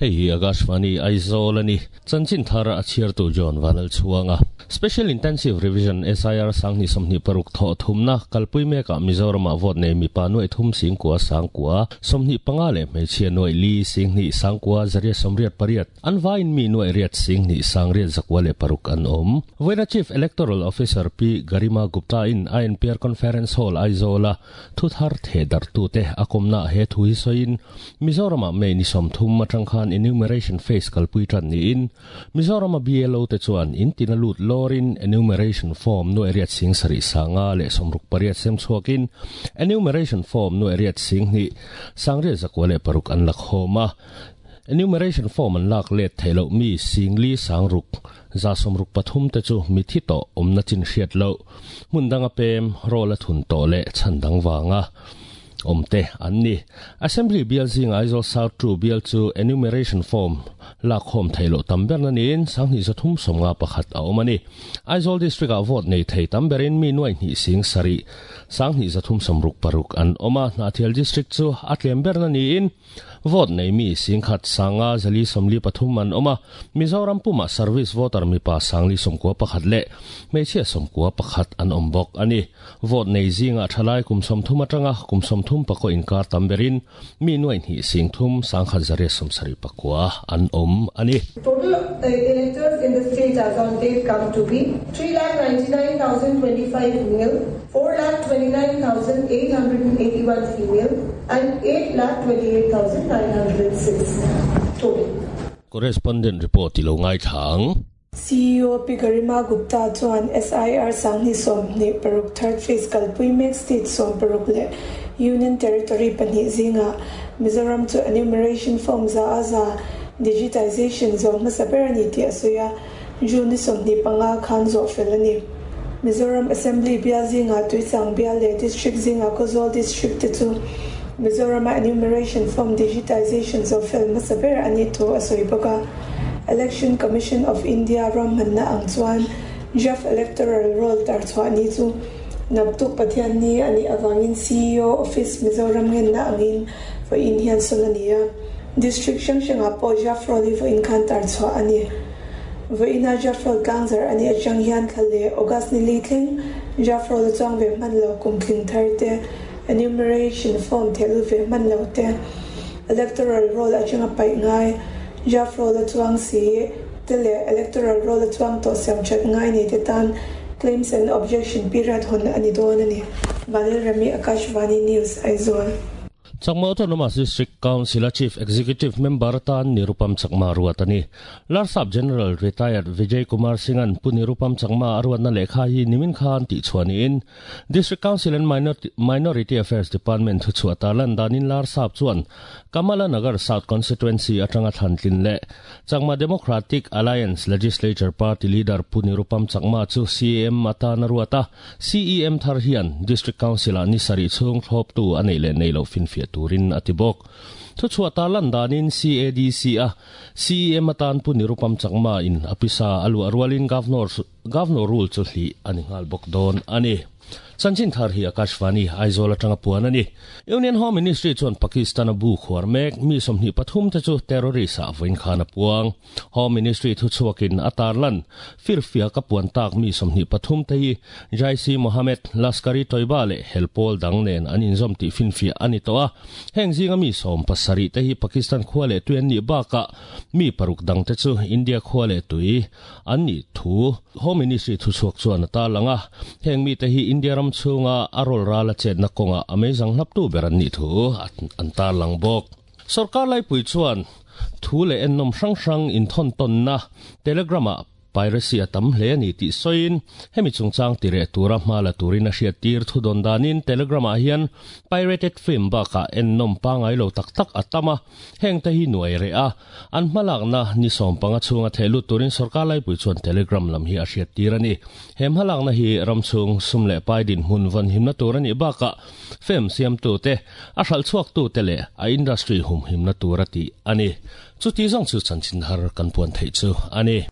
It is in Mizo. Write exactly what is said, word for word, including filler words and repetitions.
Hei Akashvani Aizawl ani chanchin thar a chhiar tu John Vanal chuanga Special Intensive Revision S I R sangni somni paruk tho thumna kalpui meka Mizoram a vote nei mi pa nuai thum sing kwa sangkwa somni panga le hmeichhia nuai li singni sangkwa zaria somriat pariat anvain mi nuai riat singni sangriat zakwa le paruk an om Voina Chief Electoral Officer P Garima Gupta in I N P R Conference Hall Aizawl thu thar the dar tu te akomna he thui soin Mizoram a me ni som thum atang khan enumeration phase kalpui tran ni in Mizoram a B L O te chuan in tinalut lorin enumeration form no area sing sari sanga le somruk pariat sem chuakin enumeration form no area sing ni sangre zakwale paruk an lakhoma enumeration form an lak let thelo mi singli sangruk za somruk pathum te chu mi thi to omna chin hriat lo mundanga pem rola thun to le chandang wanga omte anni assembly bill zing Aizawl South two bill chu enumeration form lak hom thailo tamber na nin sangni zathum somnga pakhat a omani Aizawl district a vote nei thei tamberin mi nuai ni sing sari sangni zathum somruk paruk an oma Hnahthial district chu atlember na niin vote nei mi singkhat sanga zali somli pathum an oma Mizoram puma service voter mi pa sangli somkua pakhat le hmeichhia somkua pakhat an ombok ani vote nei zinga thalai kum somthum atanga kum somthum pako inkar tamberin mi nuai ni singthum sangkhat zare somsari pakua an om ani. Total electors in the state as on date come to be three lakh ninety-nine thousand twenty-five male, four lakh twenty-nine thousand eight hundred eighty-one female and eight lakh twenty-eight thousand nine hundred six total. Correspondent report ilo ngai thang. C E O P Garima Gupta chuan S I R sangni somni paruk third phase kalpui mek state som paruk le Union Territory pahnih zinga Mizoram chu enumeration form za aza digitization zo hmasa ber ani tih a sawi a June ni sawmhnih panga khan zawh fel ani. Mizoram Assembly bial zinga Tuichang bial le district zinga Khawzawl district te chu Mizoram enumeration form digitization zo fel hmasa ber ani thu a sawi bawk a. Election Commission of India ram manna ang chuan draft electoral roll tar chhuah ni chu naktuk Pathian ni ani awangin C E O Office Mizoram ngen na angin vawiin hian sawn ani a. District hrang hrangah pawh draft roll hi vawiin khan tar chhuah ani. Vawiina draft roll tlangzar ani atang hian thla le August ni li thleng draft roll chuang ve hman lo kum tling thar te enumeration form thehlu ve hman lo te electoral roll atanga paih ngai draft roll chuang si te le electoral roll chuang to siam that ngai nei te tan claims and objection period hon ani dawn ani. Vanil Rami, Akashvani News, Aizawl. Chakma Autonomous District Council Chief Executive Member tan Nirupam Chakma ruatani. Larsap General Retired Vijay Kumar Singhan pu Nirupam Chakma arwan na lekha hi nimin khan ti chuani in District Council and Minority, Minority Affairs Department thu chuata lan danin Larsap chuan Kamala Nagar South Constituency atanga thantlin le Chakma Democratic Alliance Legislature Party Leader pu Nirupam Chakma chu C M atana ruata C E M thar hian District Council ani sari chung thlop tu anei le nei lo fin fiat turin atibok thu chuata lan danin C A D C a C E M atan pu Nirupam Chakma in apisa alu arwalin governor governor rule chu hli ani ngal bok don ani. Chanchin thar hi Akashvani Aizawl atanga puan ani. Union Home Ministry chuan Pakistan a bu khuar mek mi somhnih pathum te chu terrorist a voin khan a puang. Home Ministry thu chuakin atarlan firfia ka puan tak mi somhnih pathum te hi Jaish Mohammed Laskari Toiba le helpol dang nen an inzawm tih finfia ani to a. Heng zinga mi sawm pasarih te hi Pakistan khua leh tui an nih bakah mi paruk dang te chu India khua leh tui an nih thu Home Ministry thu chuak chuan a tarlang a. Heng mi te hi India ram chunga arol rala chet na konga amazing hlap tu beran ni thu an tar lang bok. Sarkar lai pui chuan thu le ennom hrang hrang in thon ton na telegrama piracy atam hle ani ti soin hemi chungchang tire tura hmala turin a hriat tir thu don danin telegrama hian pirated film baka ennom pangai lo tak tak atama heng te hi nuai re a an hmalak na ni som panga chunga thelu turin sarkar lai pui chuan telegram lam hi a hriat tir ani. Hem hmalak na hi ramchung sumle paidin hun van himna tur ani baka film siam tu te a hral chuak tu te le a industry hum himna tur ati ani. Chu ti zong chu chanchin har kan puan thei chu ani.